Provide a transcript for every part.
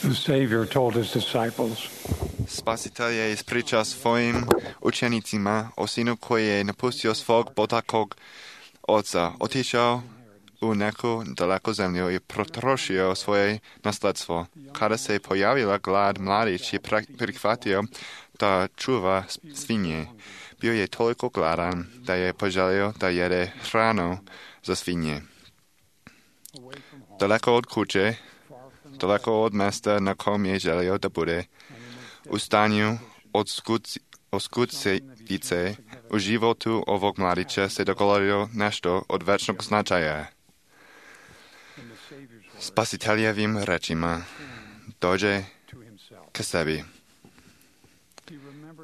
The Savior told his disciples, Spasiteľ je ispričal svojim učenicima o synu, koji je napustio svog potakog oca, otišao u neku daleko zemlju i potrošio svoje nasledstvo. Kada se pojavila glad, mladić je prihvatio da čuva svinje. Bio je toliko gladan da je poželio da jede hranu za svinje. Daleko od kuće, daleko od mesta, na kom je želio da bude, u stanju oskudcevice, u životu ovog mladića se dogodilo nešto od večnog značaja. Spasiteljevim rečima dođe k sebi.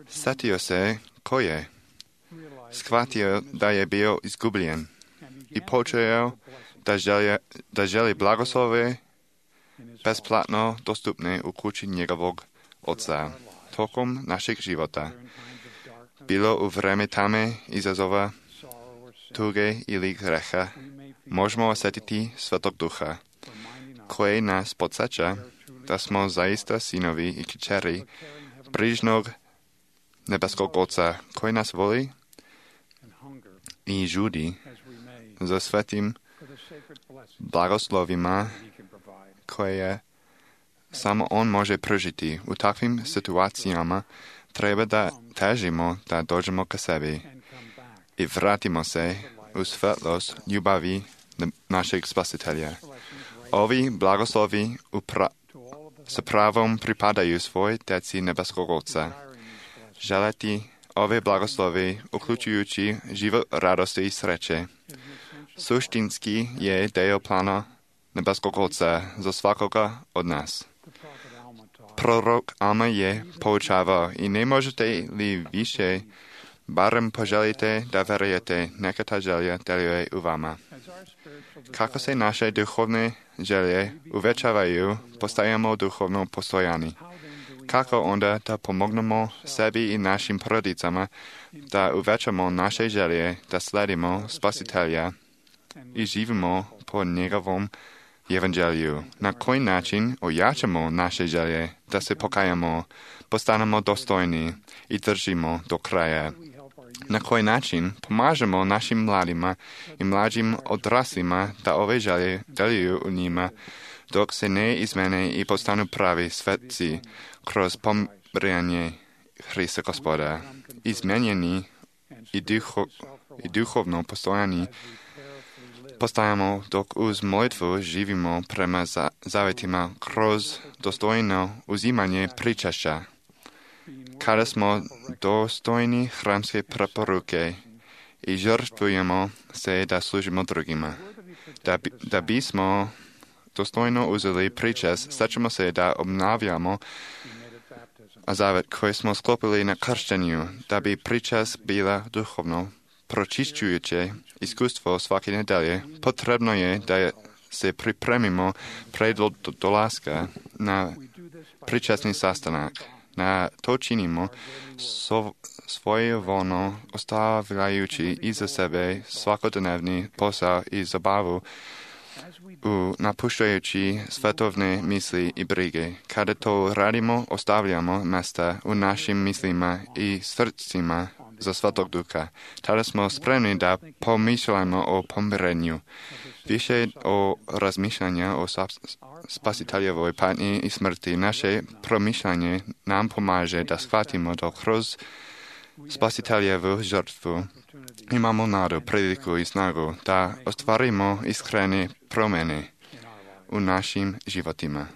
Setio se ko je. Shvatio da je bio izgubljen i počeo da želi blagoslove besplatno dostupne u kući njegovog oca. Tokom našeg života bilo u vreme tame, izazova, tuge ili greha možemo osjetiti Svetog Duha, koji nas podsjeća da smo zaista sinovi i kćeri brižnog nebeskog Oca, koji nas voli i žudi za svetim blagoslovima koje samo on može pružiti. U takvim situacijama treba da težimo da dođemo k sebi i vratimo se u svetlost ljubavi našeg Spasitelja. Ovi blagoslovi sa pravom pripadaju svoj deci nebeskog Oca. Želeti ove blagoslovi, uključujući život radosti i sreće, suštinski je dio plana nebeskog Oca za svakoga od nas. Prorok Alma je poučavao i ne možete li više, barem poželite da verujete, neka ta želja deluje u vama. Kako se naše duhovne želje uvećavaju, postajemo duhovno postojani. Kako onda da pomognemo sebi i našim porodicama da uvećamo naše želje, da sledimo Spasitelja i živimo po njegovom evanđelju? Na koji način ojačamo naše želje da se pokajamo, postanemo dostojni i držimo do kraja? Na koji način pomažemo našim mladima i mlađim odraslima da ove želje deluju u njima, dok se ne izmene i postanu pravi svetci kroz pomiranje Hrista Gospoda. Izmenjeni i duhovno postojani postajamo dok uz molitvu živimo prema zavetima kroz dostojno uzimanje pričašća. Kada smo dostojni hramske preporuke i žrtvujemo se da služimo drugima. Da bismo dostojno uzeli pričas, stačemo se da obnavljamo zavet koji smo sklopili na krštenju, da bi pričas bila duhovno pročišćujuće iskustvo svake nedelje. Potrebno je da se pripremimo pred dolaska na pričasni sastanak. Na to činimo svojevoljno ostavljajući iza sebe svakodnevni posao i zabavu, napuštajući svetovne misli i brige. Kada to radimo, ostavljamo mesta u našim mislima i srcima za Svetog Duha. Tada smo spremni da pomišljamo o pomirenju. Više o razmišljanja o Spasiteljevoj patnji i smrti. Naše promišljanje nam pomaže da shvatimo da kroz Spasiteljevu žrtvu imamo nadu, priliku i snagu da ostvarimo iskrene promjene u našim životima.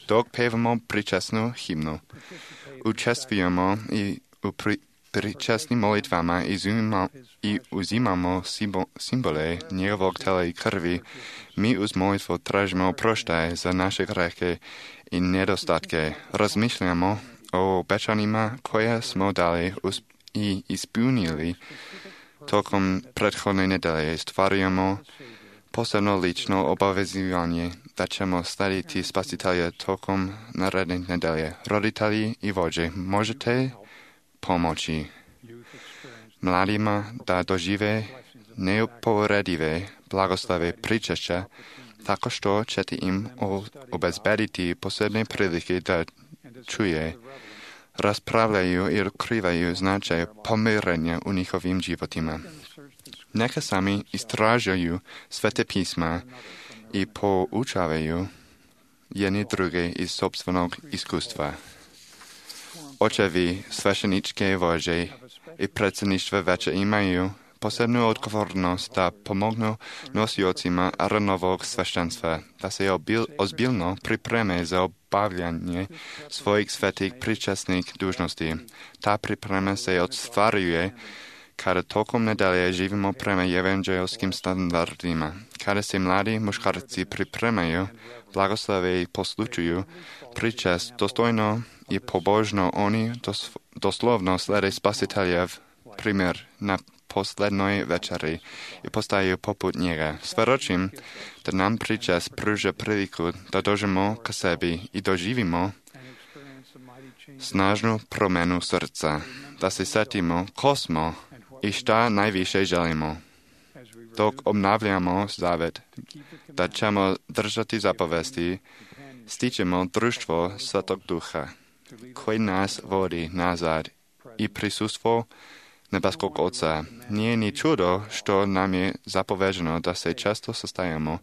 Dok pevamo pričasnu himnu, učestvujemo i u pričasnim molitvama i uzimamo simbole njegovog tela i krvi, mi uz molitvu tražimo oproštaj za naše grehe i nedostatke. Razmišljamo o obećanjima koje smo dali i ispunili tokom prethodne nedelje. Stvarujemo posebno lično obavezivanje da ćemo slediti Spasitelja tokom naredne nedelje. Roditelji i vođe, možete pomoći mladima da dožive neuporedive blagoslove pričašća Tako što ćete im obezbediti posebne prilike da čuje, raspravljaju i otkrivaju značaj pomirenja u njihovim životima. Neka sami istražuju svete pisma i poučavaju jedni druge iz sobstvenog iskustva. Očevi, svešteničke vođe i predsjedništva veće imaju posebnu odgovornost da pomognu nosiocima Aaronovog sveštenstva, da se ozbiljno pripreme za obavljanje svojih svetih pričasnih dužnosti. Ta priprema se ostvaruje kada tokom nedelje živimo prema evanđelskim standardima. Kada se mladi muškarci pripremaju, blagoslove i poslučuju pričest dostojno i pobožno, oni doslovno slede Spasiteljev primjer na poslednoj večeri i postaju poput njega. Svedočim da nam pričest pruža priliku da dođemo k sebi i doživimo snažnu promenu srca, da se setimo ko smo i šta najviše želimo. Dok obnavljamo zavet, da ćemo držati zapovesti, stičemo društvo Svetog Duha, koji nas vodi nazad i prisustvo nebeskog Oca. Nije ni čudo što nam je zapoveđeno da se često sastajamo,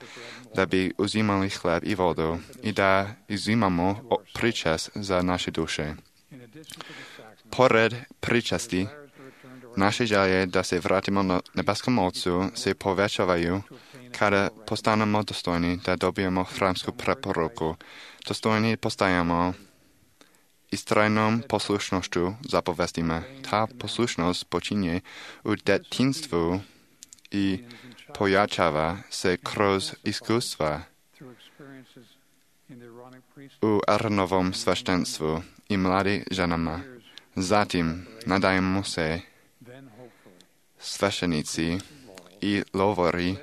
da bi uzimali hleb i vodu i da uzimamo pričest za naše duše. Pored pričesti, naše želje da se vratimo na nebeskom Otcu se povećavaju kada postanemo dostojni da dobijemo hramsku preporuku. Dostojni postajamo istrajnom poslušnošću zapovestima. Ta poslušnost počinje u detinstvu i pojačava se kroz iskustva u Aaronovom sveštenstvu i mladi ženama. Zatim nadajemo se sveštenici i lovori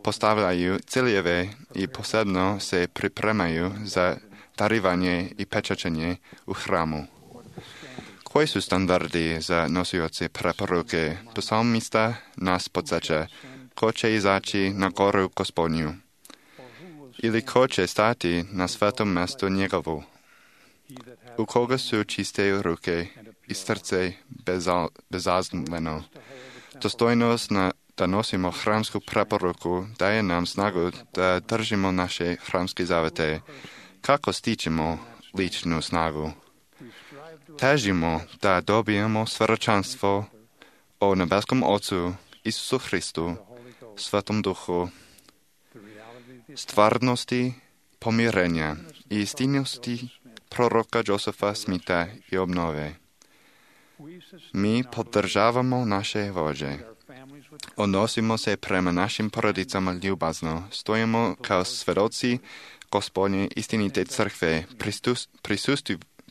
postavljaju ciljeve i posebno se pripremaju za darivanje i pečačenje u hramu. Koji su standardi za nosioce preporuke? Psalmista nas podsjeća ko će izaći na goru Gospodnju ili ko će stati na svetom mjestu njegovu. U koga su čiste ruke i srce bezazleno. Dostojnost da nosimo hramsku preporuku daje nam snagu da držimo naše hramske zavete. Kako stičemo ličnu snagu? Težimo da dobijemo svjedočanstvo o nebeskom Ocu, Isusu Hristu, Svetom Duhu, stvarnosti pomirenja i istinnosti proroka Josefa Smitha i obnove. Mi podržavamo naše vođe. Odnosimo se prema našim porodicama ljubazno. Stojimo kao svjedoci Gospodnje istinite crkve.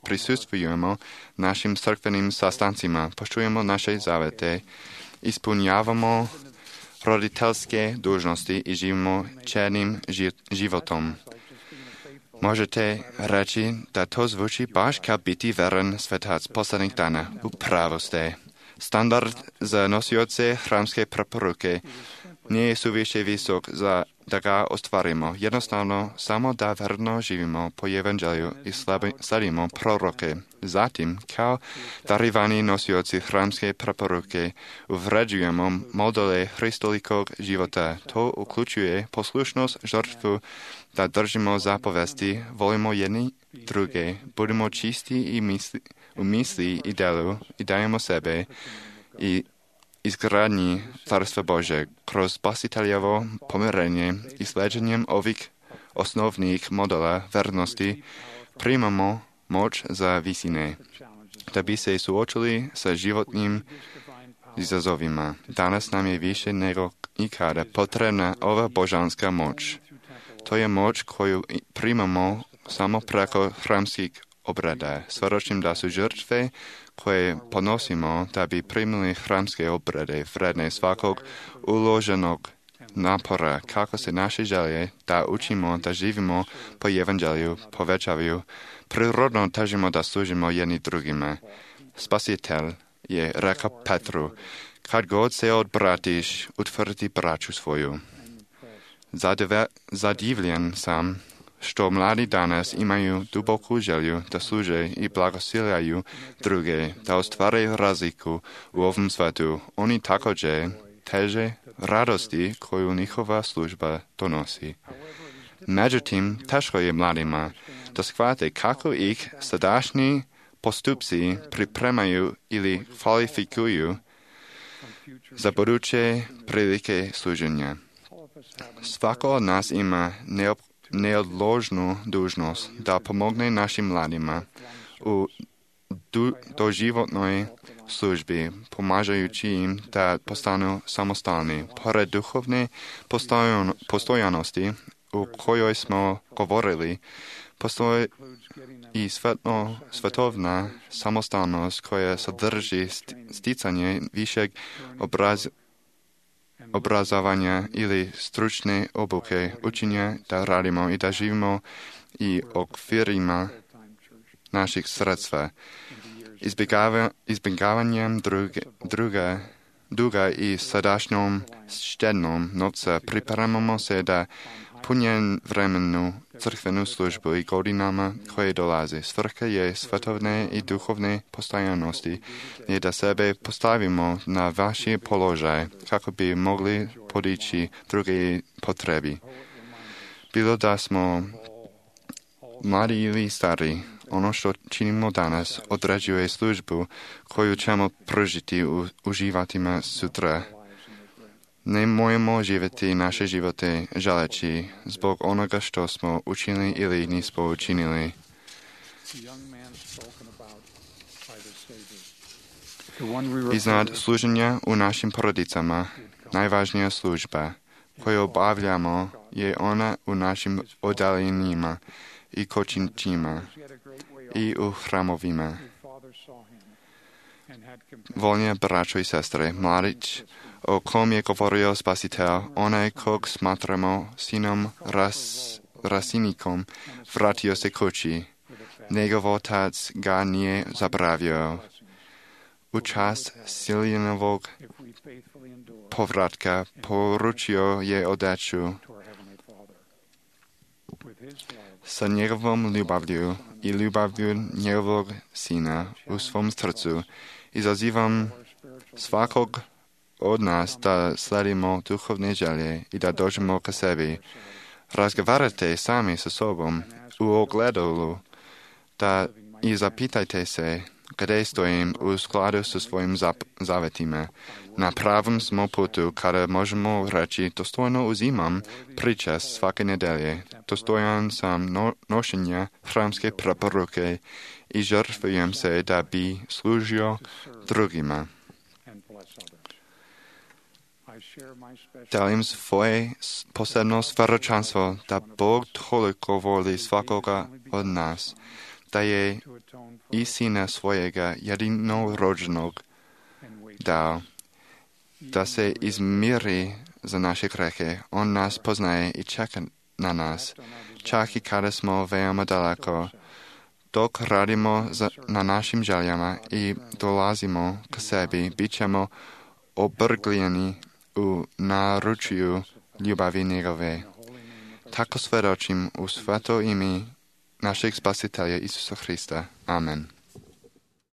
Prisustvujemo našim crkvenim sastancima. Poštujemo naše zavete. Ispunjavamo roditeljske dužnosti i živimo čednim životom. Možete reći da to zvuči baš kao biti veren svetac poslednjih dana. Upravo ste. Standard za nosioce hramske preporuke nije suviše visok da ga ostvarimo. Jednostavno, samo da verno živimo po evanđelju i sledimo proroke. Zatim, kao darivani nosioci hramske preporuke, uvređujemo modele hristolikog života. To uključuje poslušnost, žrtvu, da držimo zapovesti, volimo jedni druge, budemo čisti i u misli i delu i dajemo sebe i izgradnji Carstva Bože kroz Spasiteljevo pomirenje i sleđenjem ovih osnovnih modela vernosti primamo moć za visine, da bi se suočili sa životnim izazovima. Danas nam je više nego ikada potrebna ova božanska moć. To je moć koju primamo samo preko hramskih obreda. Svjedočim da su žrtve koje ponosimo da bi primili hramske obrede vredne svakog uloženog napora, kako se naše želje da učimo da živimo po evanđelju povećavaju. Prirodno težimo da služimo jedni drugima. Spasitelj je rekao Petru, kad god se odbratiš, utvrdi braću svoju. Zadivljen sam, što mladi danas imaju duboku želju da služe i blagosiljaju druge, da ostvaraju razliku u ovom svetu. Oni također teže radosti koju njihova služba donosi. Međutim, teško je mladima da shvate kako ih sadašnji postupci pripremaju ili kvalifikuju za buduće prilike služenja. Svako od nas ima neodložnu dužnost da pomogne našim mladima u doživotnoj službi, pomažujući im da postanu samostalni. Pored duhovne postojanosti u kojoj smo govorili, postoji i svetovna samostalnost koja sadrži sticanje višeg obrazovanja ili stručne obuke, učenja da radimo i da živimo i okvirima naših sredstva. Izbjegavanjem duga i sadašnjom štednom novca pripremamo se da punjen vremenu crkvenu službu i godinama koje dolaze. Svrha je svetovne i duhovne postojanosti je da sebe postavimo na vaši položaj kako bi mogli podići druge potrebi. Bilo da smo mladi ili stari, ono što činimo danas određuje službu koju ćemo pružiti uživatima sutra. Ne možemo živjeti naše živote želeći zbog onoga što smo učinili ili nismo učinili. Iznad služenja u našim porodicama, najvažnija služba koju obavljamo je ona u našim oddaljenjima i kočićima i u hramovima. Volnje braćo i sestre, mladić o kom je govorio Spasitelj, onaj kog smatramo sinom rasinikom, vratio se kući. Njegov otac ga nije zaboravio. U čast Siljanovog povratka poručio je odeću. Sa njegovom ljubavlju i ljubavlju njegovog sina u svom srcu izazivam svakog od nas da sledimo duhovne želje i da dođemo ka sebi. Razgovarajte sami sa sobom u ogledalu i zapitajte se gdje stojim u skladu sa svojim zavetima. Na pravom smo putu kada možemo reći dostojno uzimam pričest svake nedelje. Dostojan sam nošenja hramske preporuke i žrtvujem se da bi služio drugima. Delim svoje posebno svjedočanstvo da Bog toliko voli svakoga od nas, da je i sina svojega jedinorođenog dao, da se izmiri za naše grehe. On nas poznaje i čeka na nas, čak i kada smo veoma daleko. Dok radimo na našim željama i dolazimo k sebi, bit ćemo obrgljeni u naručju ljubavi njegove. Tako svjedočim u sveto ime našeg Spasitelja Isusa Hrista. Amen.